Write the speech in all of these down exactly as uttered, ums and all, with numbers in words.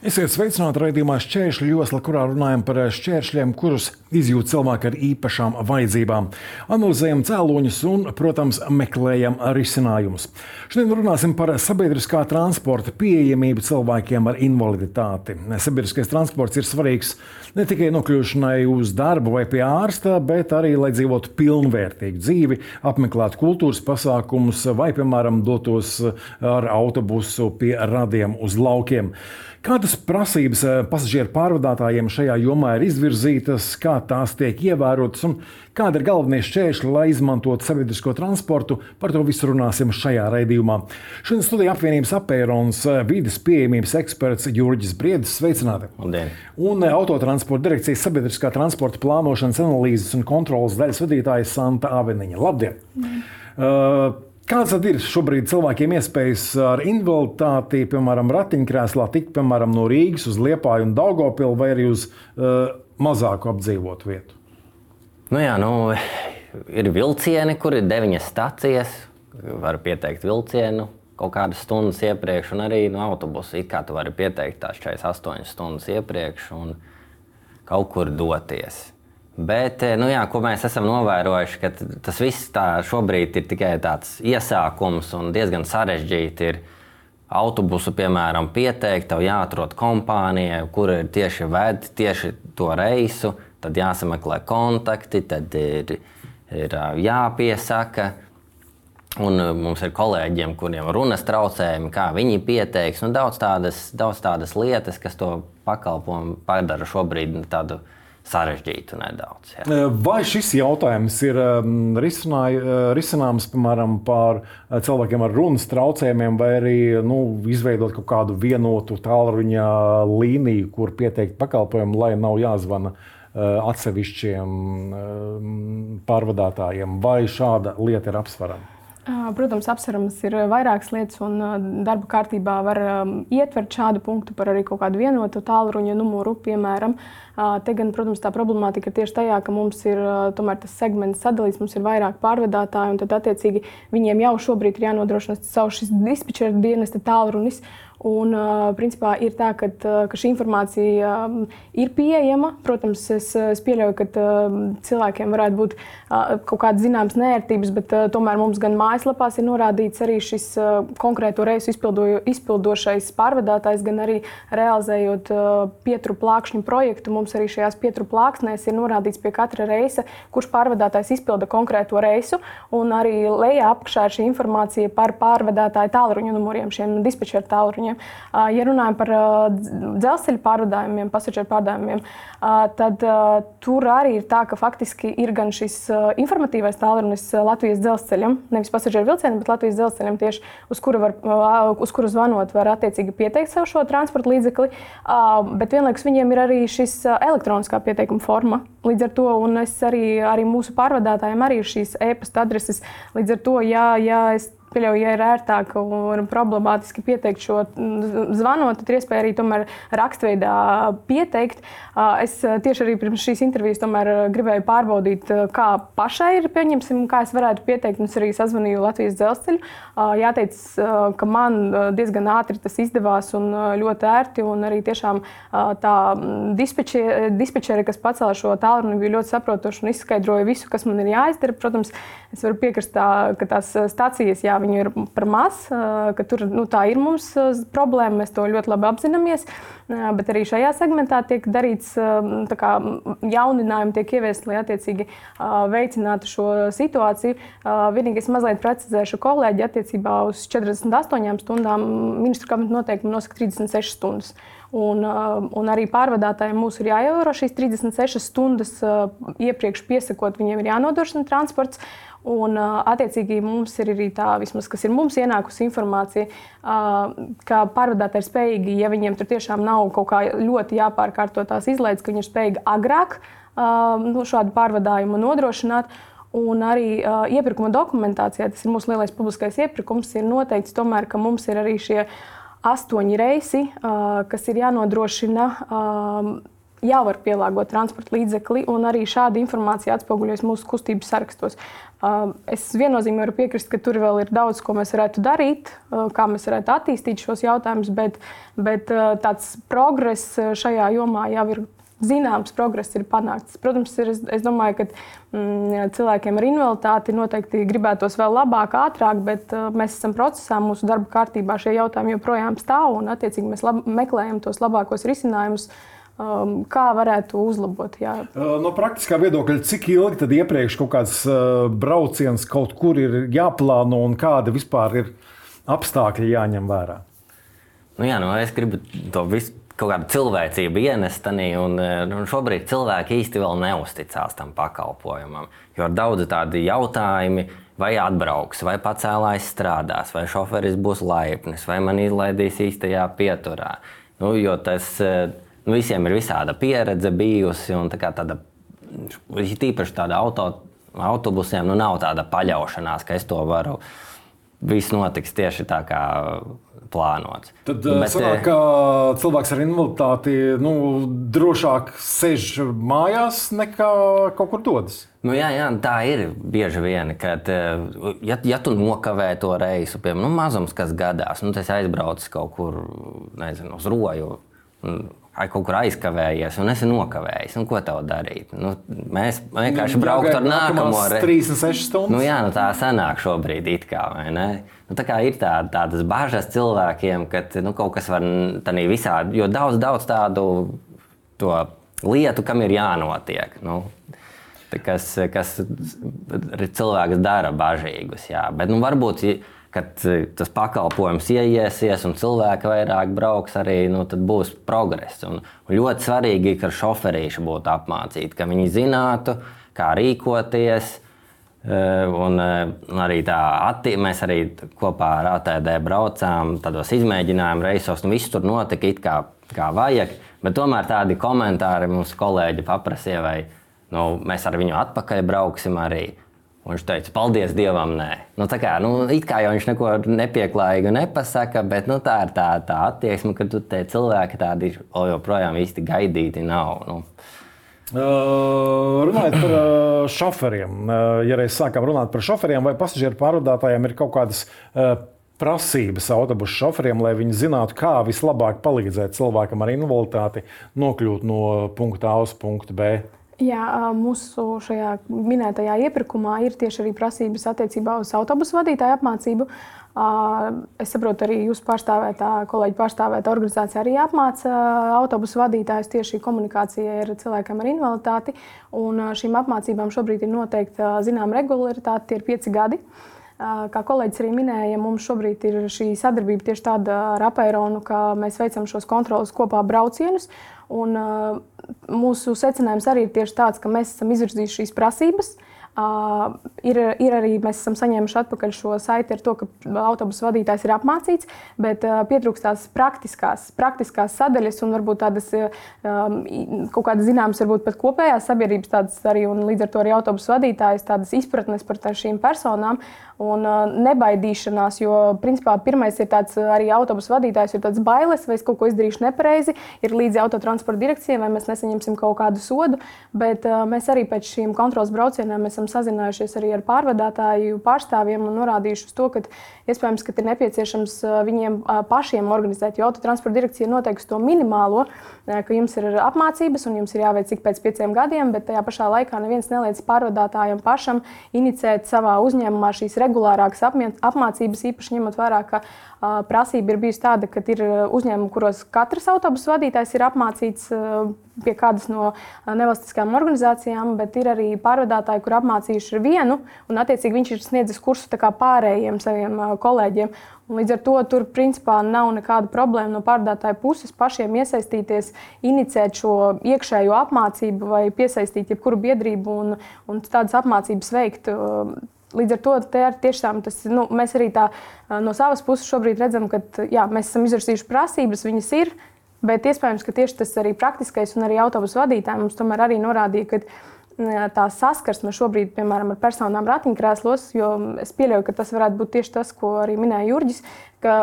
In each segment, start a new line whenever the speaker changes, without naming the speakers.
Esiet sveicināti raidījumā Šķēršļu josla, kurā runājam par šķēršļiem, kurus izjūt cilvēki ar īpašām vajadzībām. Analizējam cēloņus un, protams, meklējam risinājumus. Šodien runāsim par sabiedriskā transporta pieejamību cilvēkiem ar invaliditāti. Sabiedriskais transports ir svarīgs ne tikai nokļūšanai uz darbu vai pie ārsta, bet arī, lai dzīvotu pilnvērtīgu dzīvi, apmeklētu kultūras pasākumus vai, piemēram, dotos ar autobusu pie radiem uz laukiem. Kādas prasības pasažieru pārvadātājiem šajā jomā ir izvirzītas, kā tās tiek ievērotas un kādi ir galvenie šķēršļi, lai izmantotu sabiedrisko transportu? Par to visu runāsim šajā raidījumā. Šodien studijā apvienības Apērons vides pieejamības eksperts Jurģis Briedis. Sveicināti!
Labdien.
Un Autotransporta direkcijas sabiedriskā transporta plānošanas, analīzes un kontrolas daļas vadītāja Santa Aveniņa. Labdien! Mm. Uh, Kāds tad ir šobrīd cilvēkiem iespējas ar invaliditāti, piemēram, ratiņkrēslā tikt, piemēram, no Rīgas uz Liepāju un Daugavpili vai arī uz uh, mazāku apdzīvotu vietu?
Nu jā, nu, ir vilcieni, kur ir deviņas stacijas, var pieteikt vilcienu kaut kādas stundas iepriekš, un arī no autobusa it kā tu vari pieteikt tās četrdesmit astoņas stundas iepriekš un kaut kur doties. Bet, nu jā, ko mēs esam novērojuši, ka tas viss tā šobrīd ir tikai tāds iesākums un diezgan sarežģīti ir autobusu, piemēram, pieteikt, tev jāatrod kompānija, kur ir tieši ved tieši to reisu, tad jāsameklē kontakti, tad ir, ir jāpiesaka. Un mums ir kolēģiem, kuriem runas traucējumi, kā viņi pieteiks. Nu, daudz, tādas, daudz tādas lietas, kas to pakalpojumu padara šobrīd tādu sarežģītu nedaudz. Jā.
Vai šis jautājums ir risināms, piemēram, par cilvēkiem ar runas traucējumiem, vai arī nu, izveidot kaut kādu vienotu tālruņa līniju, kur pieteikt pakalpojumu, lai nav jāzvana atsevišķiem pārvadātājiem, vai šāda lieta ir apsverama?
Protams, apsveramas ir vairākas lietas, un darba kārtībā var ietvert šādu punktu par arī kaut kādu vienotu tālruņa numuru, piemēram. Te gan, protams, tā problemātika ir tieši tajā, ka mums ir tomēr tas segments sadalīts, mums ir vairāk pārvadātāji, un tad attiecīgi viņiem jau šobrīd ir jānodrošina savu šis dispečera dienesta tālrunis. Un, principā, ir tā, ka, ka šī informācija ir pieejama. Protams, es, es pieļauju, ka cilvēkiem varētu būt kaut kādas zināmas neērtības, bet tomēr mums gan mājaslapās ir norādīts arī šis konkrēto reisu izpildo, izpildošais pārvadātājs, gan arī realizējot pieturu plākšņu projektu. Mums arī šajās pieturu plāksnēs ir norādīts pie katra reisa, kurš pārvadātājs izpilda konkrēto reisu, un arī lejā apakšā ir šī informācija par pārvadātāju tālruņa numuriem, šiem dispečera tālruņiem. Ja runājam par dzelzceļa pārvadājumiem, pasažieru pārvadājumiem, tad tur arī ir tā, ka faktiski ir gan šis informatīvais tālrunis Latvijas dzelzceļam, nevis pasažieru vilcienam, bet Latvijas dzelzceļam tieši, uz kuru, var, uz kuru zvanot var attiecīgi pieteikt savu šo transporta līdzekli, bet vienlaikus viņiem ir arī šis elektroniskā pieteikuma forma. Līdz ar to, un es arī, arī mūsu pārvadātājiem arī ir šīs e-pasta adreses, līdz ar to, ja, ja es pieļauju, ja ir ērtāk un problemātiski pieteikt šo zvanot, tad ir iespēja arī tomēr rakstveidā pieteikt. Es tieši arī pirms šīs intervijas tomēr gribēju pārbaudīt, kā pašai ir, pieņemsim, kā es varētu pieteikt, un es arī sazvanīju Latvijas dzelzceļu. Jāteic, ka man diezgan ātri tas izdevās un ļoti ērti, un arī tiešām tā dispečeri, kas pacēla šo tālruni, bija ļoti saprotoši un izskaidroja visu, kas man ir jāizdara. Protams, es varu piekrist, tā, ka tās stācijas, jā, viņu ir par maz, ka tur nu, tā ir mums problēma, mēs to ļoti labi apzināmies, bet arī šajā segmentā tiek darīts, tā kā jauninājumi tiek ieviesti, lai attiecīgi veicinātu šo situāciju. Vienīgi es mazliet precizēšu kolēģi attiecībā uz četrdesmit astoņām stundām, ministru kabineta noteikumi nosaka trīsdesmit sešas stundas. Un, un arī pārvadātājiem mūs ir jāievēro šīs trīsdesmit sešas stundas iepriekš piesakot, viņiem ir jānodrošina transports. Un, attiecīgi, mums ir arī tā, vismaz, kas ir mums ienākusi informācija, ka pārvadātāji ir spējīgi, ja viņiem tur tiešām nav kaut kā ļoti jāpārkārto tās izlaides, ka viņi ir spējīgi agrāk nu, šādu pārvadājumu nodrošināt. Un arī iepirkuma dokumentācijā, tas ir mūsu lielais publiskais iepirkums, ir noteikts tomēr, ka mums ir arī šie astoņi reisi, kas ir jānodrošina jau var pielāgot transporta līdzekli, un arī šāda informācija atspoguļojas mūsu kustības sarakstos. Es viennozīmīgi varu piekrist, ka tur vēl ir daudz, ko mēs varētu darīt, kā mēs varētu attīstīt šos jautājumus, bet, bet tāds progress šajā jomā jau ir zināms, progress ir panākts. Protams, ir, es, es domāju, ka mm, cilvēkiem ar invaliditāti noteikti gribētos vēl labāk, ātrāk, bet uh, mēs esam procesā, mūsu darba kārtībā šie jautājumi joprojām stāv, un attiecīgi mēs lab, meklējam tos labākos risinājumus, um, kā varētu uzlabot. Jā.
No praktiskā viedokļa, cik ilgi tad iepriekš kaut kāds uh, brauciens kaut kur ir jāplāno un kādi vispār ir apstākļi jāņem vērā?
Nu jā, nu es gribu to visu kaut kādu cilvēcību ienest, un, un šobrīd cilvēki īsti vēl neusticās tam pakalpojumam. Jo ir daudz tādi jautājumi, vai atbrauks, vai pacēlājs strādās, vai šoferis būs laipnis, vai man izlaidīs īstajā pieturā. Nu, jo tas nu, visiem ir visāda pieredze bijusi, un tā kā tāda, tīpaši tāda auto, autobusiem, nu nav tāda paļaušanās, ka es to varu, viss notiks tieši tā kā plānots.
Tad Bet, sanāk, ka cilvēks ar invaliditāti nu, drošāk sēž mājās nekā kaut kur dodas.
Nu, jā, jā, tā ir bieži vien, kad ja, ja tu nokavē to reisu, piemēram, nu, mazums, kas gadās, nu, tas aizbraucis kaut kur, nezinu, uz roju, kaut kur aizkavējies un esi nokavējis. Nu, ko tev darīt? Nu, mēs vienkārši braukt ar nākamo reizi.
trīsdesmit sešas stundas.
Nu, jā, nu, tā sanāk šobrīd it kā, vai ne? Nu, tā kā ir tā, tādas bažas cilvēkiem, ka nu, kaut kas var tādā visādi, jo daudz, daudz tādu to lietu, kam ir jānotiek. Nu, kas, kas cilvēks dara bažīgus, jā. Bet nu, varbūt, kad tas pakalpojums ieiesies un cilvēki vairāk brauks, arī nu, tad būs progress. Un, un ļoti svarīgi, ka šoferīši būtu apmācīti, ka viņi zinātu, kā rīkoties. Un, un arī tā, atti, mēs arī kopā ar A T D braucām tādos izmēģinājumu reisos, un viss tur notika it kā, kā vajag, bet tomēr tādi komentāri mums kolēģi paprasīja, vai nu, mēs ar viņu atpakaļ brauksim arī. Un viņš teica, paldies Dievam, nē. Nu, tā kā, nu, it kā jau viņš neko nepieklājīgu nepasaka, bet nu, tā ir tā, tā attieksme, ka tu te cilvēki tādi joprojām īsti gaidīti nav. Nu.
Uh, runājot par uh, šoferiem, uh, ja reiz sākām runāt par šoferiem, vai pasažieru pārvadātājiem ir kaut kādas uh, prasības autobusu šoferiem, lai viņi zinātu, kā vislabāk palīdzēt cilvēkam ar invaliditāti nokļūt no punkta A uz punktu B?
Jā, mūsu šajā minētajā iepirkumā ir tieši arī prasības attiecībā uz autobusu vadītāju apmācību. Es saprotu, arī jūsu pārstāvētā, kolēģi pārstāvētā organizācija arī apmāca autobusu vadītājus tieši komunikācijai ar cilvēkiem ar invaliditāti. Un šīm apmācībām šobrīd ir noteikta zinām regularitāte, tie ir pieci gadi. Kā kolēģis arī minēja, mums šobrīd ir šī sadarbība tieši tāda ar Apeironu, ka mēs veicam šos kontrolas kopā braucienus. Un, uh, mūsu secinājums arī ir tieši tāds, ka mēs esam izvirzījuši šīs prasības. Uh, ir, ir arī mēs esam saņēmuši atpakaļ šo saiti ar to, ka autobusu vadītājs ir apmācīts, bet uh, pietrūkst tās praktiskās, praktiskās sadaļas un varbūt tādas um, kaut kādas zināmas, varbūt pat kopējās sabiedrības tādas arī un līdz ar to arī autobusu vadītājs tādas izpratnes par tā šīm personām un uh, nebaidīšanās, jo principā pirmais ir tāds arī autobusu vadītājs ir tāds bailes, vai es kaut ko izdarīšu nepareizi, ir līdzi autotransporta direkcijai, vai mēs nesaņemsim kaut kādu sodu, bet uh, mēs arī pēc šīm kontrolas braucieniem esam sazinājušies arī ar pārvadātāju pārstāvjiem un norādījuši uz to, ka iespējams, ka ir nepieciešams viņiem pašiem organizēt, jo autotransporta direkcija noteiks to minimālo, ka jums ir apmācības un jums ir jāveic ik pēc pieciem gadiem, bet tajā pašā laikā neviens neliedz pārvadātājiem pašam inicēt savā uzņēmumā šīs regulārākas apmācības, īpaši ņemot vērā, ka prasība ir bijusi tāda, ka ir uzņēmumi, kuros katrs autobusu vadītājs ir apmācīts pie kādas no nevalstiskām organizācijām, bet ir arī pārvadātāji, kur apmācījuši ir vienu, un attiecīgi viņš ir sniedzis kursu tā kā pārējiem saviem kolēģiem. Un līdz ar to tur principā nav nekāda problēma no pārvadātāju puses pašiem iesaistīties, inicēt šo iekšējo apmācību vai piesaistīt jebkuru biedrību un, un tādas apmācības veikt. Līdz ar to tiešām tas, nu, mēs arī tā no savas puses šobrīd redzam, ka jā, mēs esam izvirsījuši prasības, viņas ir, bet iespējams, ka tieši tas arī praktiskais un arī autobusu vadītāji mums tomēr arī norādīja, ka tā saskarsme šobrīd, piemēram, ar personām ratiņkrēslos, jo es pieļauju, ka tas varētu būt tieši tas, ko arī minēja Jurģis, ka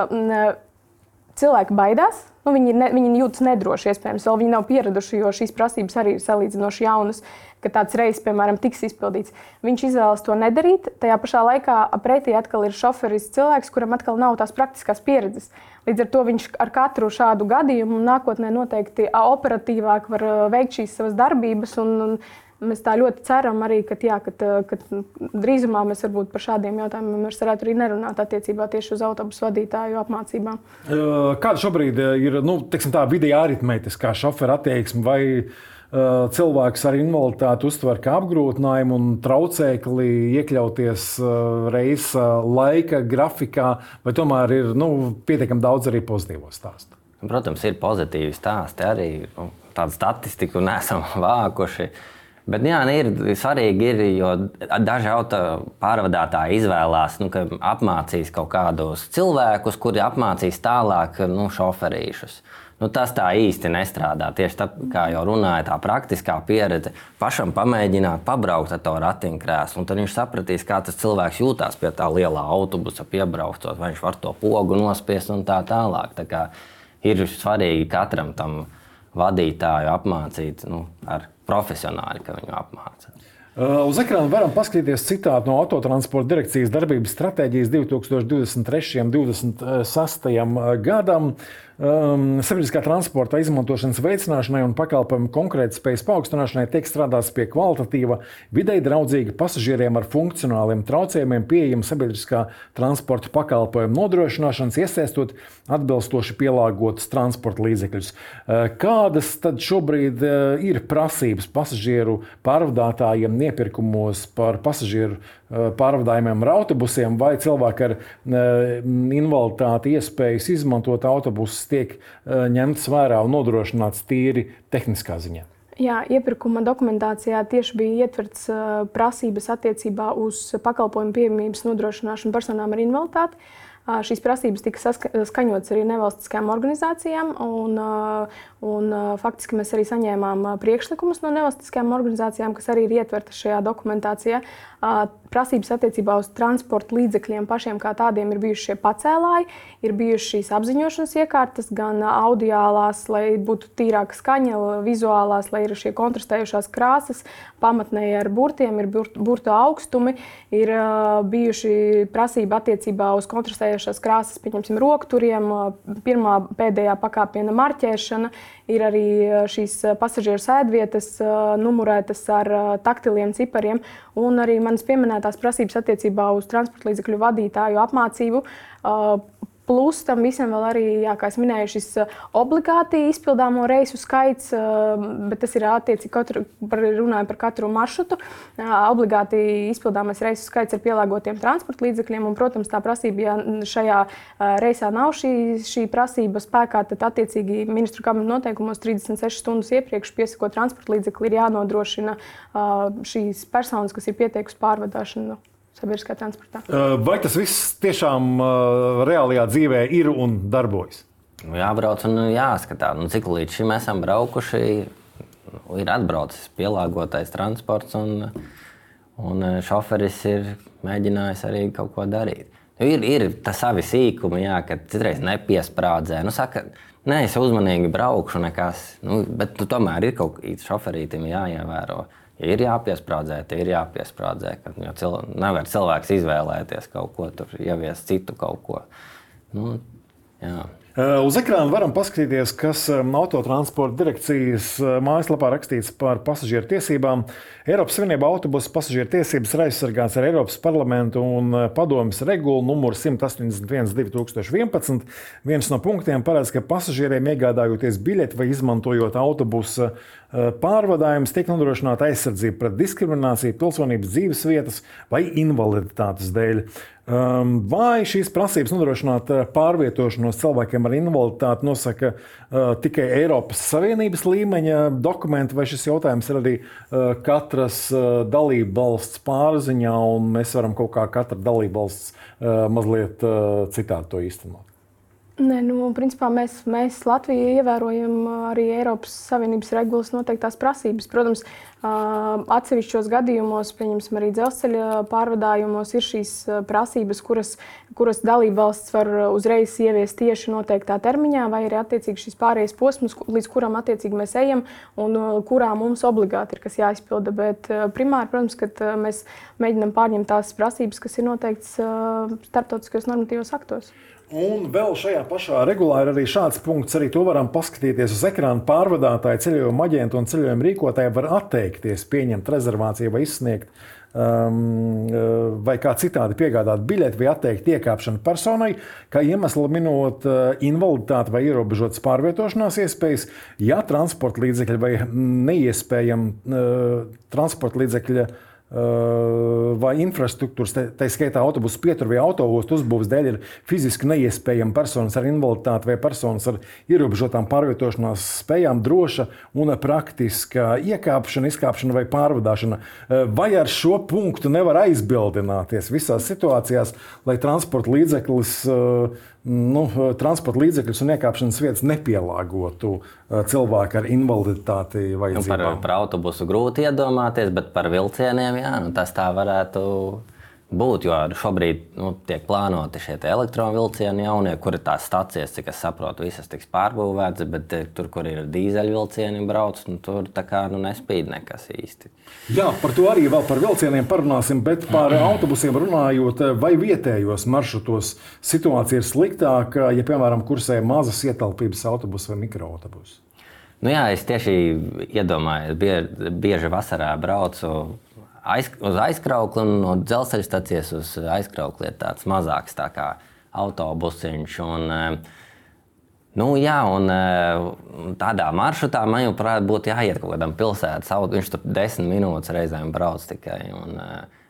cilvēki baidās nu, viņi, ne, viņi jūtas nedroši, iespējams, vēl viņi nav pieraduši, jo šīs prasības arī ir salīdzinoši jaunas, ka tāds reizes, piemēram, tiks izpildīts. Viņš izvēlas to nedarīt, tajā pašā laikā pretī atkal ir šoferis cilvēks, kuram atkal nav tās praktiskās pieredzes. Līdz ar to viņš ar katru šādu gadījumu nākotnē noteikti operatīvāk var veikt šīs savas darbības un, un mēs tā ļoti ceram arī, ka, jā, ka, ka drīzumā mēs varbūt par šādiem jautājumiem mēs varētu arī nerunāt attiecībā tieši uz autobusu vadītāju apmācībām.
Kāda šobrīd ir nu, tā vidējā aritmētiskā šofera attieksme vai uh, cilvēks ar invaliditāti uztver kā apgrūtinājumu un traucēkli iekļauties uh, reisa laika grafikā, vai tomēr ir nu, pietiekami daudz arī pozitīvo stāstu?
Protams, ir pozitīvi stāsti arī. Nu, tādu statistiku neesam vākuši. Bet jā, ir svarīgi, ir, jo daži auto pārvadātāji izvēlās, nu, ka apmācīs kaut kādus cilvēkus, kuri apmācīs tālāk nu, šoferīšus. Nu, tas tā īsti nestrādā. Tieši tā, kā jau runāja, tā praktiskā pieredze pašam pamēģināt pabraukt ar to ratiņkrēslu, un tad viņš sapratīs, kā tas cilvēks jūtās pie tā lielā autobusa piebraucot, vai viņš var to pogu nospiest un tā tālāk. Tā kā ir svarīgi katram tam vadītāju apmācīt nu, ar profesionāli, ka viņu apmāca.
Uz ekrāna varam paskatīties citātu no Autotransporta direkcijas darbības stratēģijas divi tūkstoši divdesmit trešajam līdz divdesmit sestajam gadam. Um, sabiedriskā transporta izmantošanas veicināšanai un pakalpojumu konkurētspējas paaugstināšanai tiek strādāts pie kvalitatīva, videi draudzīga pasažieriem ar funkcionāliem traucējumiem pieejama sabiedriskā transporta pakalpojumu nodrošināšanas, iesaistot atbilstoši pielāgotus transporta līdzekļus. Kādas tad šobrīd ir prasības pasažieru pārvadātājiem iepirkumos par pasažieru pārvadājumiem ar autobusiem, vai cilvēki ar invaliditāti iespējas izmantot autobusus tiek ņemts vērā un nodrošināts tīri tehniskā ziņā?
Jā, iepirkuma dokumentācijā tieši bija ietverts prasības attiecībā uz pakalpojumu pieejamības nodrošināšanu personām ar invaliditāti. Šīs prasības tika skaņotas arī nevalstiskajām organizācijām, un, un faktiski mēs arī saņēmām priekšlikumus no nevalstiskajām organizācijām, kas arī ir ietvertas šajā dokumentācijā. Prasības attiecībā uz transporta līdzekļiem pašiem kā tādiem ir bijuši šie pacēlāji, ir bijušas šīs apziņošanas iekārtas, gan audiālās, lai būtu tīrāka skaņa, vizuālās, lai ir šie kontrastējušās krāsas, pamatnēji ar burtiem, ir burtu augstumi, ir bijuši prasība attiecībā uz kontrastējušās krāsas, pieņemsim, rokturiem, pirmā pēdējā pakāpiena marķēšana, ir arī šīs pasažieru sēdvietas numurētas ar taktiliem cipariem, un arī manas pieminētās prasības attiecībā uz transporta līdzekļu vadītāju apmācību. Plus tam visam vēl arī, jā, kā es minēju, šis obligāti izpildāmo reisu skaits, bet tas ir attiecīgi katru, par, runājam par katru maršrutu. Obligāti izpildāmais reisu skaits ar pielāgotiem transporta līdzekļiem, un, protams, tā prasība, ja šajā reisā nav šī, šī prasība spēkā, tad attiecīgi ministru kabinetu noteikumos trīsdesmit sešas stundas iepriekš piesakot transporta līdzekli ir jānodrošina šīs personas, kas ir pieteikusi pārvadāšanu sabiedriskā transportā.
Vai tas viss tiešām reālajā dzīvē ir un darbojas?
Nu, jābrauc un jāskatās. Nu, cik līdz šim esam braukuši, ir atbraucis pielāgotais transports un, un šoferis ir mēģinājis arī kaut ko darīt. Nu, ir ir tā savi sīkumi, jā, kad citreiz nepiesprādzē. Nu, saka, nē, es uzmanīgi braukšu nekas, nu, bet tu, tomēr ir kaut kā šoferītim jāievēro. Ja ir jāpiesprādzē, tad ir jāpiesprādzē. Jo cilvē, nevar cilvēks izvēlēties kaut ko, tur ieviest citu kaut ko. Nu, jā.
Uz ekrāna varam paskatīties, kas Autotransporta direkcijas mājaslapā rakstīts par pasažieru tiesībām. Eiropas Savienībā autobusu pasažieru tiesības ir aizsargāts ar Eiropas parlamentu un padomes regulu numuru simt astoņdesmit viens divi tūkstoši vienpadsmit. Viens no punktiem paredz, ka pasažieriem iegādājoties biļeti vai izmantojot autobusa pārvadājumus tiek nodrošināta aizsardzība pret diskrimināciju pilsonības dzīves vietas vai invaliditātes dēļ. Vai šīs prasības nodrošināt pārvietošanos cilvēkiem ar invaliditāti nosaka uh, tikai Eiropas Savienības līmeņa dokumenti, vai šis jautājums ir arī uh, katras uh, dalību valsts pārziņā, un mēs varam kaut kā katra dalību valsts uh, mazliet uh, citādi to īstenot?
Nē, nu, principā mēs, mēs Latvijā ievērojam arī Eiropas Savienības regulas noteiktās prasības. Protams, atsevišķos gadījumos, pieņemsim arī dzelzceļa pārvadājumos, ir šīs prasības, kuras, kuras dalībvalsts var uzreiz ieviest tieši noteiktā termiņā, vai arī attiecīgi šis pārējais posms, līdz kuram attiecīgi mēs ejam un kurā mums obligāti ir kas jāizpilda. Bet primāri, protams, kad mēs mēģinam pārņemt tās prasības, kas ir noteikts starptautiskajos normatīvos aktos.
Un vēl šajā pašā regulā ir arī šāds punkts, arī to varam paskatīties uz ekrāna. Pārvadātāji, ceļojuma aģenti un ceļojuma rīkotāji var atteikties pieņemt rezervāciju vai izsniegt um, vai kā citādi piegādāt biļeti vai atteikt iekāpšanu personai, kā iemeslu minot invaliditāti vai ierobežotas pārvietošanās iespējas, ja transporta līdzekļi vai neiespējami uh, transporta līdzekļi vai infrastruktūras, tā skaitā autobusu pietur vai autoostu uzbūves dēļ ir fiziski neiespējama personas ar invaliditāti vai personas ar ierobežotām pārvietošanās spējām droša un praktiska iekāpšana, izkāpšana vai pārvadāšana. Vai ar šo punktu nevar aizbildināties visās situācijās, lai transporta līdzeklis Nu, transporta līdzekļus un iekāpšanas vietas nepielāgotu cilvēku ar invaliditāti vajadzībām?
Nu, par, par autobusu grūti iedomāties, bet par vilcieniem jā, nu, tas tā varētu būt. Jo šobrīd nu, tiek plānoti šie elektrovilcieni jaunie, kur ir tās stacijas, cik es saprotu, visas tiks pārbūvētas, bet tur, kur ir dīzeļvilcieni brauc, nu, tur tā kā nu, nespīd nekas īsti.
Jā, par to arī vēl par vilcieniem parunāsim, bet par autobusiem runājot, vai vietējos maršrutos situācija ir sliktāka, ja, piemēram, kursē mazas ietelpības autobusu vai mikroautobusu?
Nu jā, es tieši iedomājos, bieži, bieži vasarā braucu aiz, uz aizkraukli un no dzelzceļa stacijas uz aizkraukli ir tāds mazāks tā kā autobusiņš. Un, nu, jā, un tādā maršrutā man jau būtu jāiet kaut kādam pilsētas auto. Viņš tur desmit minūtes reizēm brauc tikai. Un,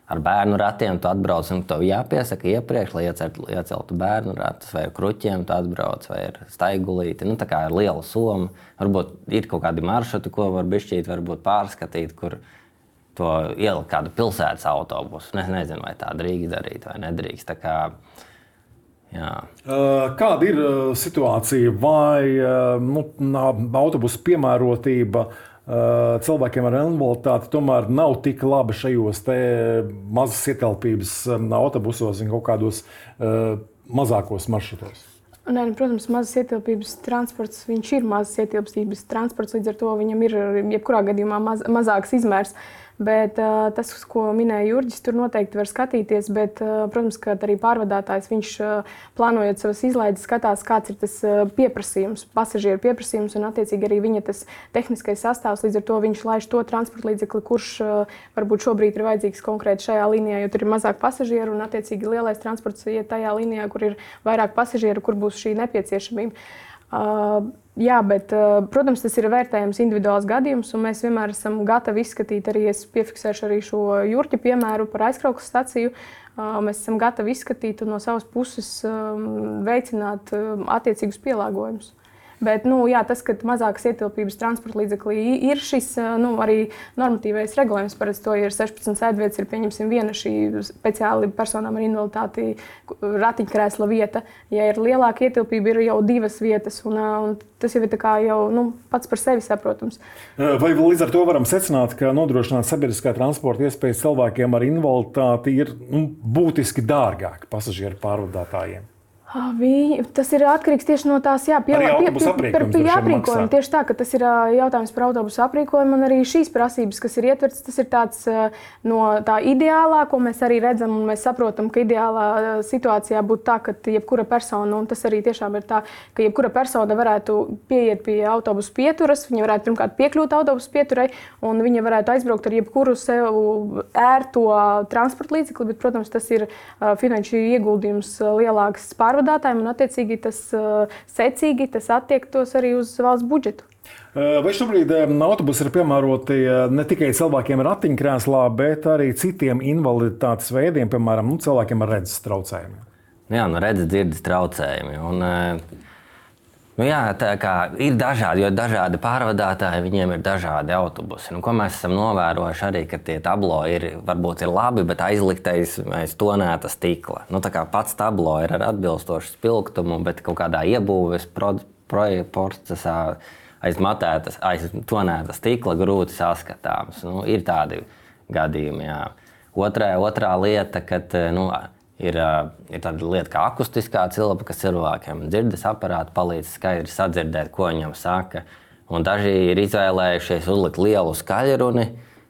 ar bērnu ratiem tu atbrauc un tev jāpiesaka iepriekš, lai ieceltu bērnu ratus, vai ar kruķiem tu atbrauc, vai ar staigulīti. Nu, tā kā ir liela soma. Varbūt ir kaut kādi maršruti, ko var bišķīt, varbūt pārskatīt, kur to ielikt kādu pilsētas autobusu. Es nezinu, vai tā drīkst darīt vai nedrīkst. Tā kā, jā.
Kāda ir situācija? Vai nu, autobusu piemērotība cilvēkiem ar invaliditāti tomēr nav tik laba šajos te mazas ietelpības autobusos un kaut kādos mazākos maršrutos?
Nē, protams, mazas ietilpības transports, viņš ir mazas ietilpības transports, līdz ar to viņam ir jebkurā gadījumā maz, mazāks izmērs. Bet uh, tas, ko minēja Jurģis, tur noteikti var skatīties, bet, uh, protams, ka arī pārvadātājs, viņš uh, plānojot savas izlaides, skatās, kāds ir tas uh, pieprasījums, pasažieru pieprasījums un, attiecīgi, arī viņa tas tehniskais sastāvs. Līdz ar to viņš laiž to transporta līdzekli, kurš uh, varbūt šobrīd ir vajadzīgs konkrēti šajā līnijā, jo tur ir mazāk pasažieru un, attiecīgi, lielais transports iet tajā līnijā, kur ir vairāk pasažieru, kur būs šī nepieciešamība. Uh, jā, bet, uh, protams, tas ir vērtējams individuāls gadījums, un mēs vienmēr esam gatavi izskatīt, arī es piefiksēšu arī šo Jurķa piemēru par aizkraukles staciju. Uh, mēs esam gatavi izskatīt un no savas puses um, veicināt um, attiecīgus pielāgojumus. Bet, nu, jā, tas, ka mazākas ietilpības transporta līdzeklī ir šis nu, arī normatīvais regulējums. Parasti to ir sešpadsmit sēdvietas, ir pieņemsim viena šī speciāli personām ar invaliditāti ratiņkrēsla vieta. Ja ir lielāka ietilpība, ir jau divas vietas, un, un tas jau ir tā kā jau nu, pats par sevi saprotams.
Vai līdz ar to varam secināt, ka nodrošināt sabiedriskā transporta iespējas cilvēkiem ar invaliditāti ir nu, būtiski dārgāk pasažieru pārvadātājiem?
Viņi, tas ir atkarīgs tieši no tās jā, pie, pie, pie, pie, pie aprīkojuma. Tieši tā, ka tas ir jautājums par autobusu aprīkojumu un arī šīs prasības, kas ir ietverts, tas ir tāds no tā ideālā, ko mēs arī redzam un mēs saprotam, ka ideālā situācijā būtu tā, ka jebkura persona, un tas arī tiešām ir tā, ka jebkura persona varētu pieiet pie autobusu pieturas, viņa varētu pirmkārt piekļūt autobusu pieturai un viņa varētu aizbraukt ar jebkuru sev ērto transporta līdzekli, bet, protams, tas ir finanšu ieguldījums lielāks pārvadājums. Un, attiecīgi, tas uh, secīgi tas attiektos arī uz valsts budžetu.
Vai šobrīd autobusi ir piemēroti ne tikai cilvēkiem ar ratiņkrēslā, bet arī citiem invaliditātes veidiem, piemēram, nu, cilvēkiem ar redzes traucējumiem?
Jā, nu, redzes dzirdes traucējumi. Un, uh, Nu jā, tā kā ir dažādi, jo dažādi pārvadātāji, viņiem ir dažādi autobusi. Nu, ko mēs esam novērojuši arī, ka tie tablo ir, varbūt ir labi, bet aizliktais aiz tonēta stikla. Nu, tā kā pats tablo ir ar atbilstošu spilgtumu, bet kaut kādā iebūves pro, procesā aiz matētas, aiz tonēta stikla grūti saskatāms. Nu, ir tādi gadījumi, jā. Otrā, otrā lieta, kad, nu, Ir, ir tāda lieta kā akustiskā cilpa, kas cilvēkiem dzirdes aparāti palīdz skaidri sadzirdēt, ko viņam saka. Un daži ir izvēlējušies uzlikt lielu skaļruni,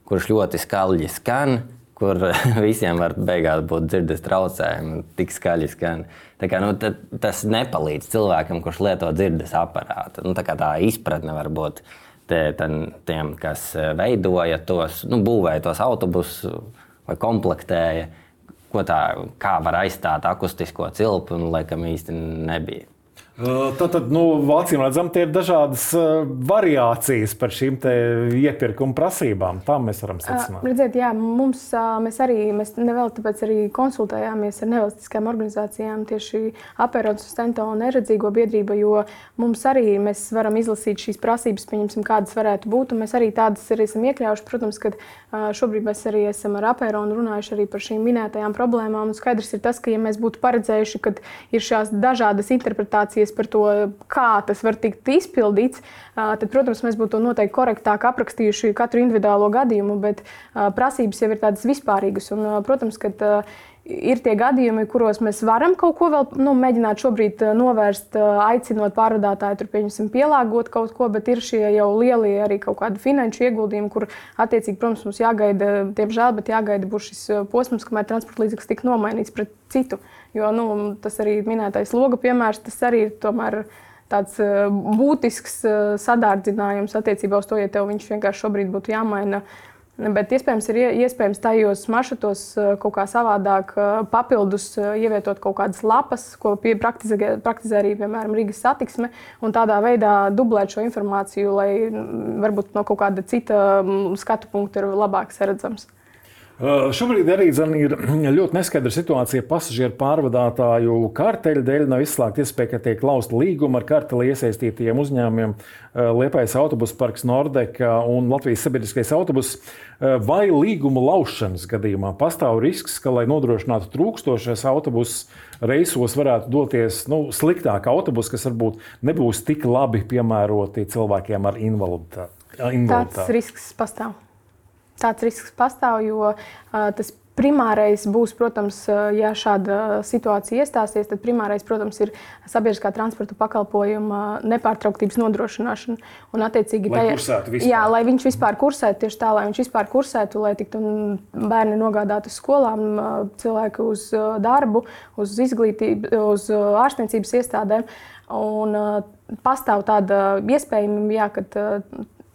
kurš ļoti skaļi skan, kur visiem var beigās būt dzirdes traucējumi, tik skaļi skan. Tā kā, nu, tas nepalīdz cilvēkam, kurš lieto dzirdes aparātu. Nu, tā kā tā izpratne var būt te, ten, tiem, kas veidoja tos, nu, būvēja tos autobusus vai komplektēja. Ko tā, kā var aizstāt akustisko cilpu, un laikam īsti nebija.
Tātad, nu, acīm redzam, tie ir dažādas variācijas par šīm te iepirkuma prasībām. Tā mēs varam secināt.
Redziet, jā, mums, mēs arī, mēs nevēl tāpēc arī konsultējāmies ar nevalstiskām organizācijām, tieši Apēronas un Stento un Neredzīgo biedrība, jo mums arī mēs varam izlasīt šīs prasības, pieņemsim, kādas varētu būt, un mēs arī tādas arī esam iekļaujuši. Protams, ka šobrīd mēs arī esam ar Apēronu runājuši arī par šīm minētajām problēmām, un skaidrs ir tas, ka ja mēs būtu paredzējuši, ka ir šās dažādas interpretācijas par to, kā tas var tikt izpildīts, tad, protams, mēs būtu noteikti korektāk aprakstījuši katru individuālo gadījumu, bet prasības jau ir tādas vispārīgas. Un, protams, ka ir tie gadījumi, kuros mēs varam kaut ko vēl nu, mēģināt šobrīd novērst, aicinot pārvadātāju, tur pieņemsim pielāgot kaut ko, bet ir šie jau lielie arī kaut kādi finanšu ieguldījumi, kur attiecīgi, protams, mums jāgaida, diemžēl, bet jāgaida būs šis posms, kamēr transporta līdzeklis tika nomainīts pret citu. Jo nu, tas arī minētais loga piemērs, tas arī ir tomēr tāds būtisks sadārdzinājums attiecībā uz to, ja tev viņš vienkārši šobrīd būtu jāmaina. Bet iespējams ir iespējams tajos maršrutos kaut kā savādāk papildus ievietot kaut kādas lapas, ko praktizē, praktizē arī, piemēram, Rīgas satiksme, un tādā veidā dublēt šo informāciju, lai varbūt no kaut kāda cita skatu punkta ir labāk saredzams.
Šobrīd arī ir ļoti neskaidra situācija pasažieru pārvadātāju karteļu dēļ. Nav izslēgta iespēja, ka tiek lausta līguma ar karteli iesaistītajiem uzņēmumiem Liepājas autobusu parks Nordeka un Latvijas sabiedriskais autobus. Vai līguma laušanas gadījumā pastāv risks, ka, lai nodrošinātu trūkstošais autobusus, reisos varētu doties nu, sliktāk autobusi, kas varbūt nebūs tik labi piemēroti cilvēkiem ar invaliditāti?
Tāds risks pastāv. Tāds risks pastāv, jo uh, tas primārais būs, protams, ja šāda situācija iestāsies, tad primārais, protams, ir sabiedriskā transporta pakalpojuma nepārtrauktības nodrošināšana. Un, attiecīgi,
lai kursētu vispār.
Jā, lai viņš vispār kursētu, tieši tā, lai viņš vispār kursētu, lai tiktu bērni nogādāti uz skolām, cilvēki uz darbu, uz izglītību, uz ārstniecības iestādēm. Un pastāv tāda iespējamība, jā, ka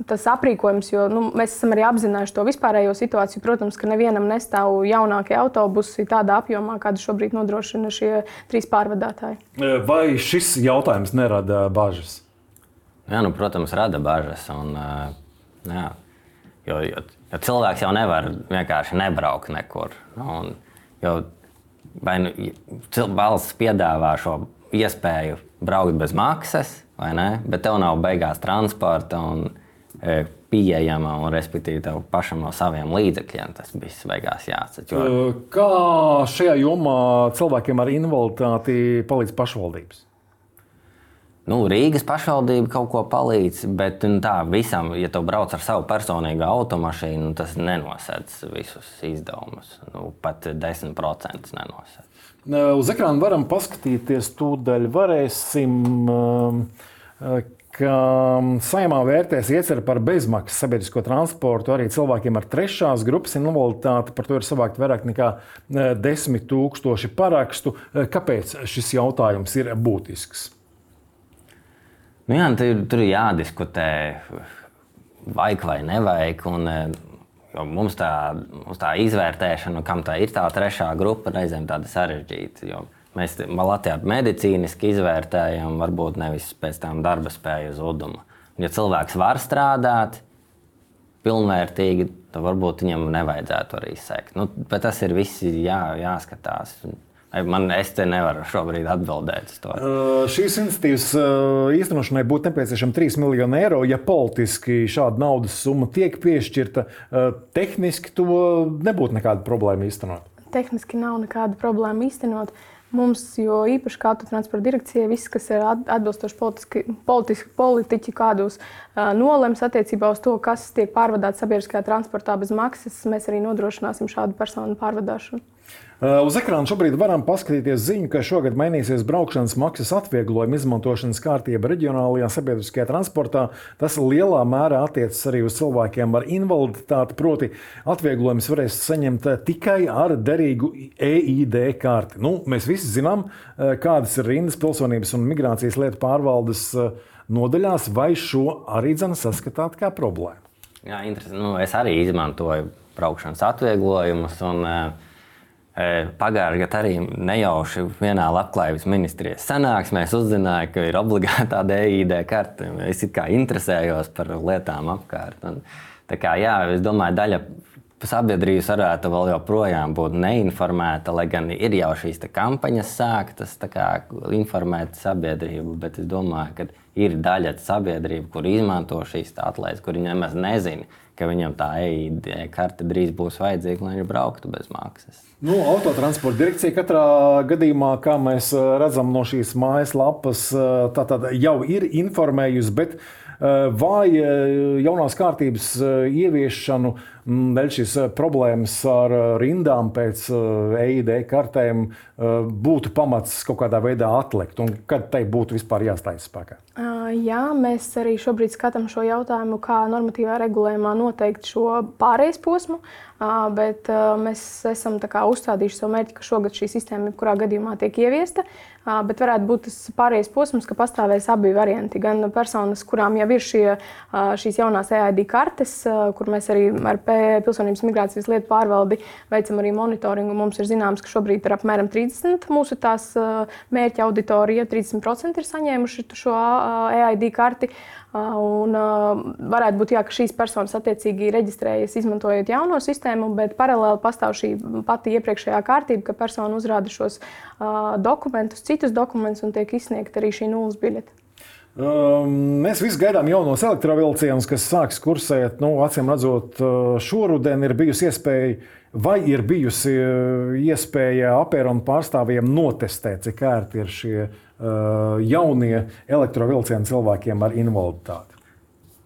tas aprīkojums, jo nu, mēs esam arī apzinājuši to vispārējo situāciju. Protams, ka nevienam nestāv jaunākie autobusi tādā apjomā, kādu šobrīd nodrošina šie trīs pārvadātāji.
Vai šis jautājums nerada bažas?
Jā, nu, protams, rada bažas. Un, jā, jo, jo, jo cilvēks jau nevar vienkārši nebraukt nekur. Un, jo, vai nu, valsts piedāvā šo iespēju braukt bez maksas, vai ne? Bet tev nav beigās transporta un pieejama un, respektīvi, tev pašam no saviem līdzekļiem tas viss beigās jāatceļ. Jo...
Kā šajā jomā cilvēkiem ar invaliditāti palīdz pašvaldības?
Nu, Rīgas pašvaldība kaut ko palīdz, bet nu, tā visam, ja tu brauc ar savu personīgo automašīnu, tas nenosedz visus izdevumus. Nu, pat desmit procenti nenosedz.
Uz ekrāna varam paskatīties, tūdaļ varēsim, ka Saeimā vērtēs ieceri par bezmaksas sabiedrisko transportu arī cilvēkiem ar trešās grupas invaliditāti. Par to ir savākt vairāk nekā desmit tūkstoši parakstu. Kāpēc šis jautājums ir būtisks?
Nu jā, tur, tur ir jādiskutē, vajag vai nevajag. Un, mums, tā, mums tā izvērtēšana, kam tā ir tā trešā grupa, reizēm tāda sarežģīta. Jo mēs Latvijā medicīniski izvērtējam, varbūt nevis pēc tām darba spēju zuduma. Ja cilvēks var strādāt pilnvērtīgi, tad varbūt viņam nevajadzētu arī sekt. Nu, bet tas ir visi jā, jāskatās. Man, es te nevaru šobrīd atbildēt uz to.
Uh, šīs iniciatīvas uh, īstenošanai būtu nepieciešami trīs miljoni eiro. Ja politiski šāda naudas summa tiek piešķirta, uh, tehniski to nebūtu nekāda problēma īstenot.
Tehniski nav nekāda problēma īstenot. Mums, jo īpaši kā autotransporta direkcija, viss, kas ir atbilstoši politiski, politiski politiķi kādus uh, nolems attiecībā uz to, kas tiek pārvadāts sabiedriskajā transportā bez maksas, mēs arī nodrošināsim šādu personu pārvadāšanu.
Uh, uz ekrāna šobrīd varam paskatīties ziņu, ka šogad mainīsies braukšanas maksas atvieglojuma izmantošanas kārtība reģionālajā sabiedriskajā transportā. Tas lielā mērā attiecas arī uz cilvēkiem ar invaliditāti, proti atvieglojums varēs saņemt tikai ar derīgu E I D karti. Nu, mēs visi zinām, kādas ir rindas pilsonības un migrācijas lietu pārvaldes nodaļās, vai šo arī dzene saskatāt kā problēmu?
Jā, interesanti. Nu, es arī izmantoju braukšanas atvieglojumus un pagājušajā gadā arī nejauši vienā labklājības ministrijas sanāksmēs uzzināju, ka ir obligātā E I D karte. Es it kā interesējos par lietām apkārt. Un, tā kā, jā, es domāju, daļa sabiedrības varētu vēl joprojām būt neinformēta, lai gan ir jau šīs kampaņas sāktas informēt sabiedrību, bet es domāju, ka ir daļa sabiedrība, kur izmanto šīs atlaides, kuri nemaz nezina, ka viņam tā E I D karte drīz būs vajadzīga, lai viņš brauktu bez maksas.
Nu, autotransporta direkcija katrā gadījumā, kā mēs redzam no šīs mājaslapas, tātad jau ir informējusi, bet vai jaunās kārtības ieviešanu dēļ šīs problēmas ar rindām pēc E I D kartēm būtu pamats kaut kādā veidā atlikt, un kad tai būtu vispār jāstājas spēkā?
Jā, mēs arī šobrīd skatām šo jautājumu, kā normatīvā regulējumā noteikt šo pārejas posmu, bet mēs esam tā kā uzstādījuši savu mērķi, ka šogad šī sistēma jebkurā gadījumā tiek ieviesta, bet varētu būt tas pārejas posms, ka pastāvēs abi varianti. Gan personas, kurām jau ir šie, šīs jaunās E I D kartes, kur mēs arī ar Pilsonības migrācijas lietu pārvaldi veicam arī monitoringu. Mums ir zināms, ka šobrīd ir apmēram trīsdesmit mūsu tās mērķa auditorija, trīsdesmit procenti ir saņēmuši šo E I D karti. Un varētu būt, jā, ka šīs personas attiecīgi reģistrējas izmantojot jauno sistēmu, bet paralēli pastāv šī pati iepriekšējā kārtība, ka persona uzrāda šos dokumentus, citus dokumentus un tiek izsniegta arī šī nulles biļete.
Mēs visi gaidām jaunos elektrovilcienus, kas sāks kursēt. Nu, acīm redzot, šoruden ir bijusi iespēja, vai ir bijusi iespēja apēronu pārstāvjiem notestēt, cik ērti ir šie uh, jaunie elektrovilcieni cilvēkiem ar invaliditāti?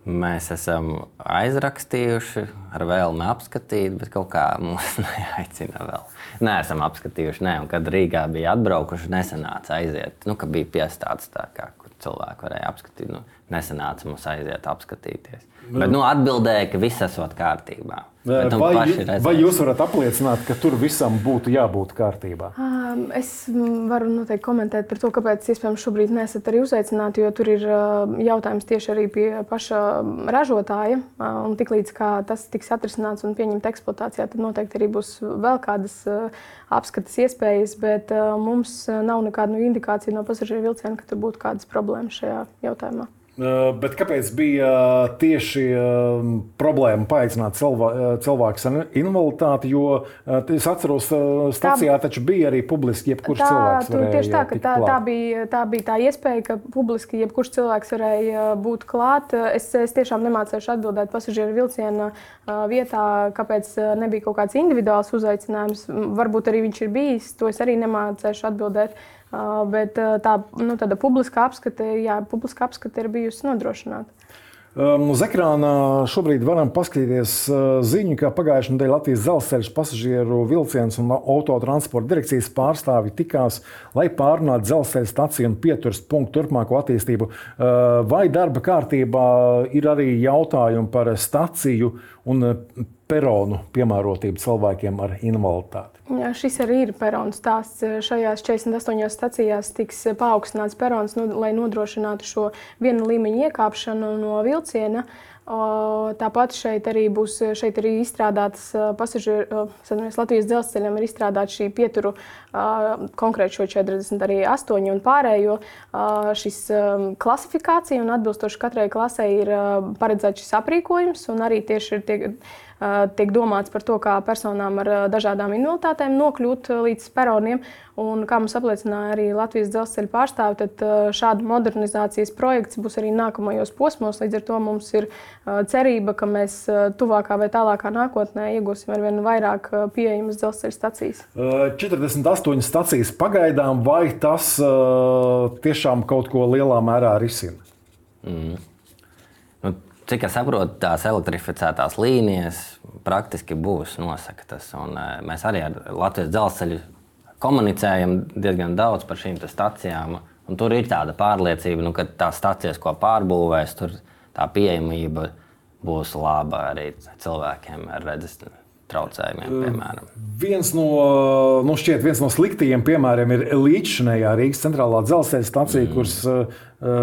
Mēs esam aizrakstījuši ar vēlmi apskatīt, bet kaut kā mūs neaicina vēl. Neesam apskatījuši, ne, un kad Rīgā bija atbraukuši, nesanāca aiziet. Nu, ka bija piestāds tā, kā, kur cilvēki varēja apskatīt. Nu, nesanāca mums aiziet apskatīties. Nu. Bet nu, atbildēja, ka viss esot kārtībā. Bet, nu,
vai, vai jūs varat apliecināt, ka tur visam būtu jābūt kārtībā?
Es varu noteikti komentēt par to, kāpēc iespējams šobrīd nesat arī uzaicināti, jo tur ir jautājums tieši arī pie paša ražotāja. Un tiklīdz kā tas tiks atrisināts un pieņemt eksploatācijā, tad noteikti arī būs vēl kādas apskates iespējas, bet mums nav nekāda indikācija no pasažieru vilciena, ka tur būtu kādas problēmas šajā jautājumā.
Bet kāpēc bija tieši problēma paaicināt cilvēkus ar invaliditāti? Jo es atceros, stacijā tā, taču bija arī publiski jebkurš tā, cilvēks varēja
tieši tā, ka
tikt
tā,
klāt.
Tā bija, tā bija tā iespēja, ka publiski jebkurš cilvēks varēja būt klāt. Es, es tiešām nemācēšu atbildēt pasažieru vilciena vietā, kāpēc nebija kaut kāds individuāls uzaicinājums. Varbūt arī viņš ir bijis, to es arī nemācēšu atbildēt. Uh, bet uh, tā nu, tāda publiska apskate, jā, publiska apskate ir bijusi nodrošināta.
Um, uz ekrāna šobrīd varam paskatīties uh, ziņu, ka pagājušajā nedēļā Latvijas dzelzceļa pasažieru vilciens un autotransporta direkcijas pārstāvji tikās, lai pārunātu dzelzceļa staciju un pieturas punktu turpmāko attīstību. Uh, vai darba kārtībā ir arī jautājumi par staciju un peronu piemērotību cilvēkiem ar invaliditāti?
Jā, šis arī ir peronu stāsts. Šajās četrdesmit astoņās stacijās tiks paaugstināts perons, lai nodrošinātu šo vienu līmeņu iekāpšanu no vilciena. Tāpat šeit arī būs šeit arī izstrādātas pasažieru, Latvijas dzelzceļam ir izstrādāta šī pieturu konkrēti šo četrdesmit astoņi un pārējo šis klasifikācija un atbilstoši katrai klasei ir paredzēts šis aprīkojums un arī tieši ir tiek tiek domāts par to, kā personām ar dažādām invaliditātēm nokļūt līdz peroniem. Un, kā mums apliecināja arī Latvijas dzelzceļa pārstāvi, tad šāda modernizācijas projekts būs arī nākamajos posmos. Līdz ar to mums ir cerība, ka mēs tuvākā vai tālākā nākotnē iegūsim ar vien vairāk pieejamas dzelzceļa stacijas.
četrdesmit astoņas stacijas pagaidām, vai tas uh, tiešām kaut ko lielā mērā risina?
Mm. Nu, cik es saprotu, tās elektrificētās līnijas praktiski būs, nosaka tas. Un, uh, mēs arī ar Latvijas dzelzceļu komunicējam diezgan daudz par šīm stacijām. Un tur ir tāda pārliecība, nu, ka tās stacijas, ko pārbūvēs, tur tā pieejamība būs laba arī cilvēkiem ar redzes traucējumiem, piemēram.
Viens no, nu šķiet, viens no sliktajiem piemēriem ir līdzšinējā Rīgas centrālā dzelzceļa stacija, mm. kuras uh,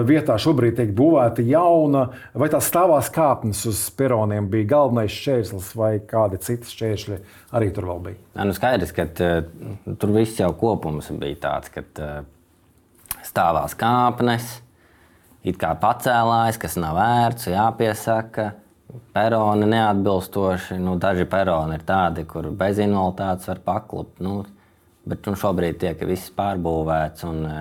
vietā šobrīd tiek būvēta jauna. Vai tās stāvās kāpnes uz peroniem bija galvenais šķērslis vai kādi citi šķēršļi arī tur vēl bija?
Jā, nu skaidrs, ka uh, tur viss jau kopums bija tāds, ka uh, stāvās kāpnes, it kā pacēlājs, kas nav vērts, jāpiesaka. Peroni neatbilstoši, nu, daži peroni ir tādi, kur bez invaliditātes var paklupt, nu, bet nu, šobrīd tiek viss pārbūvēts un uh,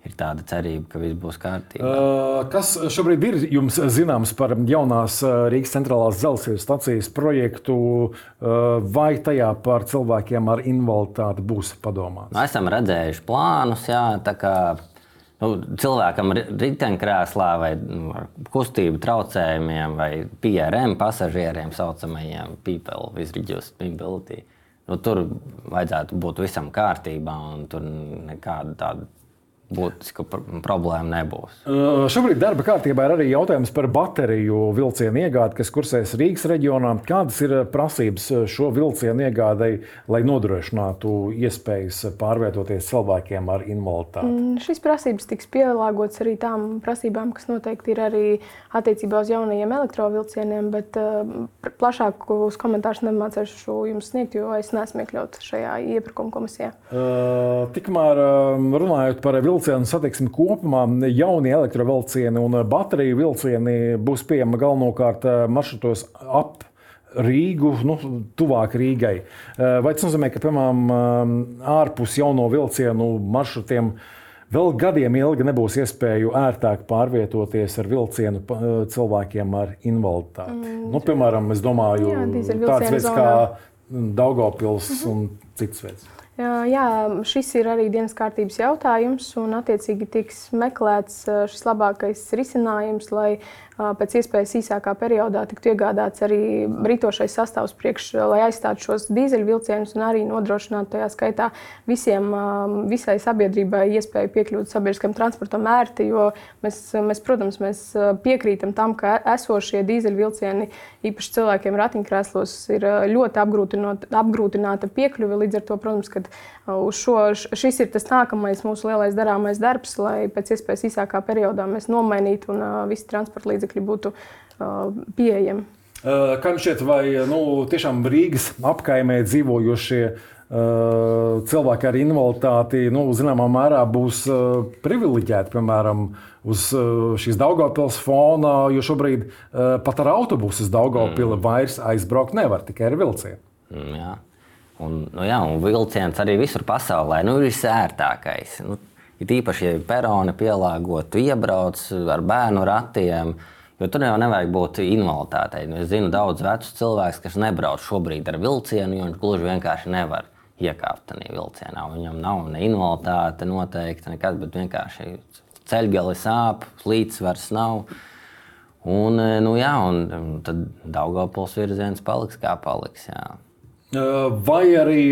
ir tāda cerība, ka viss būs kārtībā.
Uh, kas šobrīd ir jums zināms par jaunās Rīgas centrālās dzelzceļa stacijas projektu, uh, vai tajā par cilvēkiem ar invaliditāti būs padomāts?
Nu, esam redzējuši plānus, jā, tā kā nu, cilvēkam riteņkrēslā vai nu, kustību traucējumiem vai P R M pasažieriem saucamajiem people with reduced mobility. Nu, tur vajadzētu būt visam kārtībā un tur nekāda tāda būtiska problēma nebūs.
Uh, šobrīd darba kārtībā ir arī jautājums par bateriju vilcienu iegādi, kas kursēs Rīgas reģionā. Kādas ir prasības šo vilcienu iegādei, lai nodrošinātu iespējas pārvietoties cilvēkiem ar invaliditāti?
Mm, šīs prasības tiks pielāgotas arī tām prasībām, kas noteikti ir arī attiecībā uz jaunajiem elektrovilcieniem, bet uh, plašākus komentārus nemācēšu jums sniegt, jo es neesmu iekļauts šajā iepirkuma komisijā.
Uh, tikmēr runājot par vilcienu, Vilcienu satiksmi kopumā, jaunie elektrovilcieni un bateriju vilcieni būs pieejami galvenokārt maršrutos ap Rīgu, nu, tuvāk Rīgai. Vai tas nozīmē, ka, piemēram, ārpus jauno vilcienu maršrutiem vēl gadiem ilgi nebūs iespēju ērtāk pārvietoties ar vilcienu cilvēkiem ar invaliditāti? Mm. Nu, piemēram, es domāju, jā, tāds veids kā Daugavpils mm-hmm. un cits veids.
Jā, šis ir arī dienas kārtības jautājums, un attiecīgi tiks meklēts šis labākais risinājums, lai pēc iespējas īsākā periodā tiktu iegādāts arī rītošais sastāvs priekš, lai aizstātu šos dīzeļvilcienus un arī nodrošinātu tajā skaitā visiem, visai sabiedrībai iespēju piekļūt sabiedriskam transportam ērti, jo mēs, mēs, protams, mēs piekrītam tam, ka esošie dīzeļvilcieni, īpaši cilvēkiem ratiņkrēslos, ir ļoti apgrūtināta piekļuve, līdz ar to, protams, ka uz šo, šis ir tas nākamais mūsu lielais darāmais darbs, lai pēc iespējas īsākā periodā mēs nomainītu un uh, visi transporta līdzekļi būtu uh, pieejami.
Uh, kā jums šķiet, vai nu, tiešām Rīgas apkaimē dzīvojošie uh, cilvēki ar invaliditāti, nu, zināmā mērā būs uh, privileģēti, piemēram, uz uh, šīs Daugavpils fona, jo šobrīd uh, pat ar autobusu uz Daugavpili mm. vairs aizbraukt nevar, tikai ar vilcienu.
Mm, jā. Un, nu jā, un vilciens arī visur pasaulē nu, ir visērtākais. Nu, ir īpaši, ja peroni pielāgot, iebrauc ar bērnu ratiem, jo tur jau nevajag būt invaliditātei. Nu, es zinu daudz vecus cilvēkus, kas nebrauc šobrīd ar vilcienu, jo viņš gluži vienkārši nevar iekāpt tajā vilcienā. Viņam nav ne invaliditāte noteikti, nekas, bet vienkārši ceļgali sāp, līdzsvars nav. Un, nu jā, un tad Daugavpils virziens paliks kā paliks, jā.
Vai arī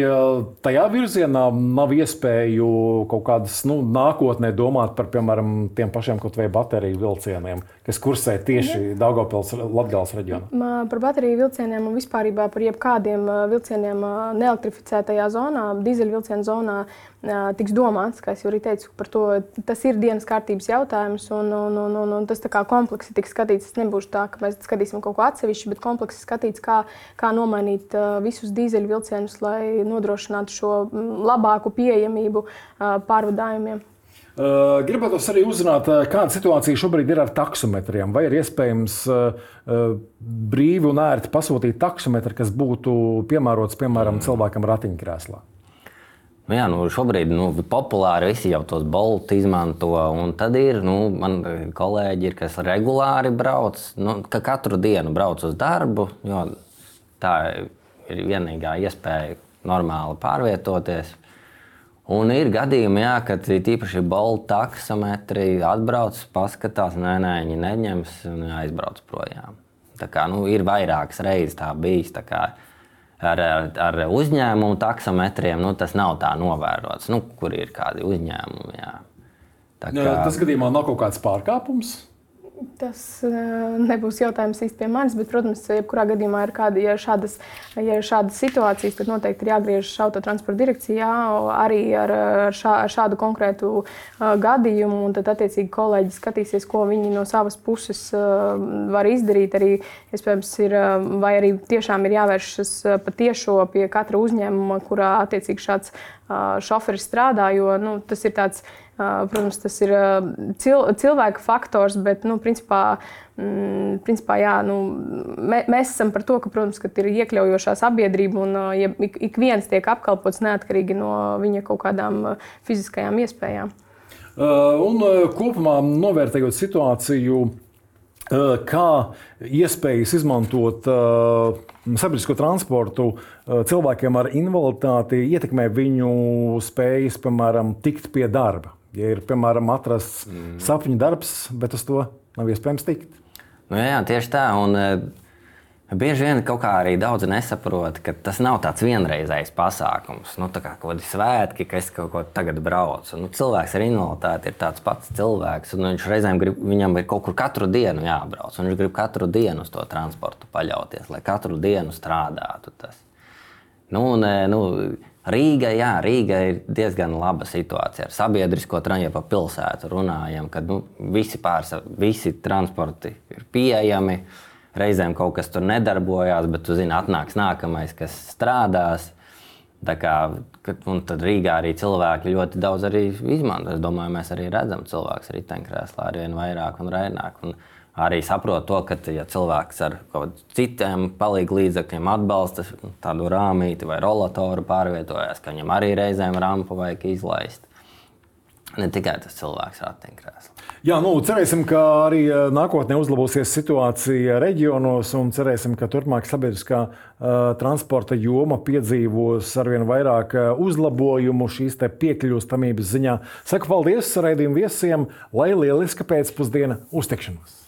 tajā virzienā nav iespēju kaut kādas nu, nākotnē domāt par, piemēram, tiem pašiem kaut vai bateriju vilcieniem, kas kursē tieši Daugavpils Latgales reģionā?
Par bateriju vilcieniem un vispārībā par jebkādiem vilcieniem neelektrificētajā zonā, dīzeļvilcienu zonā tiks domāts, kā es jau arī teicu, par to, tas ir dienas kārtības jautājums un, un, un, un, un tas tā kā kompleksi tiks skatīts. Tas nebūs tā, ka mēs skatīsim kaut ko atsevišķi, bet kompleksi skatīts, kā, kā nomainīt visus dīzeļvilcienus, lai nodrošinātu šo labāku pieejamību pārvadājumiem.
Uh, gribētu arī uzzināt, kāda situācija šobrīd ir ar taksometriem. Vai ir iespējams uh, brīvi un ērti pasūtīt taksometru, kas būtu piemērots, piemēram, cilvēkam ratiņkrēslā?
Nu jā, nu šobrīd nu, populāri visi jau tos Bolt izmanto. Un tad ir, nu, man kolēģi ir, kas regulāri brauc, nu, ka katru dienu brauc uz darbu, jo tā ir vienīgā iespēja normāli pārvietoties. Un ir gadījumi, jā, kad tīpaši Bolt taksometri atbrauc, paskatās, nē, nē, viņi neņems un aizbrauc projām. Tā kā, nu, ir vairākas reizes tā bijis. Tā kā ar, ar, ar uzņēmumu taksometriem nu, tas nav tā novērots, nu, kur ir kādi uzņēmumi. Jā. Tā kā...
Tas gadījumā nav kaut kāds pārkāpums?
Tas nebūs jautājums īsti pie manis, bet, protams, jebkurā gadījumā ir kāda, ja šādas, ja ir šādas situācijas, tad noteikti ir jāgriežas autotransporta direkcijā arī ar, šā, ar šādu konkrētu uh, gadījumu, un tad attiecīgi kolēģi skatīsies, ko viņi no savas puses uh, var izdarīt. Arī, iespējams, ir, vai arī tiešām ir jāvēršas patiešo pie katra uzņēmuma, kurā attiecīgi šāds uh, šoferis strādā, jo nu, tas ir tāds. Protams, tas ir cil, cilvēka faktors, bet, nu, principā, mm, principā jā, nu, mē, mēs esam par to, ka, protams, ka ir iekļaujošā sabiedrība un ja ik, ik viens tiek apkalpots neatkarīgi no viņa kaut kādām fiziskajām iespējām.
Uh, un kopumā novērtējot situāciju, uh, kā iespējas izmantot uh, sabiedrisko transportu uh, cilvēkiem ar invaliditāti ietekmē viņu spējas, piemēram, tikt pie darba. Ja ir, piemēram, atrasts mm. sapņu darbs, bet uz to nav iespējams tikt.
Nu, jā, tieši tā. Un, e, bieži vien kaut kā arī daudz nesaprot, ka tas nav tāds vienreizējs pasākums. Nu, tā kā kaut kādi svētki, ka es kaut ko tagad braucu. Nu, cilvēks ar invaliditāti ir tāds pats cilvēks, un viņš reizēm grib, viņam ir kaut kur katru dienu jābrauc. Un viņš grib katru dienu uz to transportu paļauties, lai katru dienu strādātu tas. Nu, un, nu, Rīga, jā, Rīga ir diezgan laba situācija ar sabiedrisko transportu, pa pilsētu runājam, kad nu, visi, pārsa, visi transporti ir pieejami, reizēm kaut kas tur nedarbojās, bet tu zini, atnāks nākamais, kas strādās. Tā kā, un tad Rīgā arī cilvēki ļoti daudz arī izmanto. Es domāju, mēs arī redzam cilvēks riteņkrēslā arvien vairāk un vairāk. Un arī saprot to, ka ja cilvēks ar kaut citiem palīgu līdzekļiem atbalsta tādu rāmīti vai rolatoru pārvietojās, ka viņam arī reizēm rampu vajag izlaist. Ne tikai tas cilvēks ratiņkrēslā.
Jā, nu, cerēsim, ka arī nākotnē uzlabosies situācija reģionos un cerēsim, ka turpmāk sabiedriskā uh, transporta joma piedzīvos arvien vairāk uzlabojumu šīs te piekļūstamības ziņā. Saku paldies raidījumu viesiem, lai lieliska pēcpusdiena, uz tikšanos!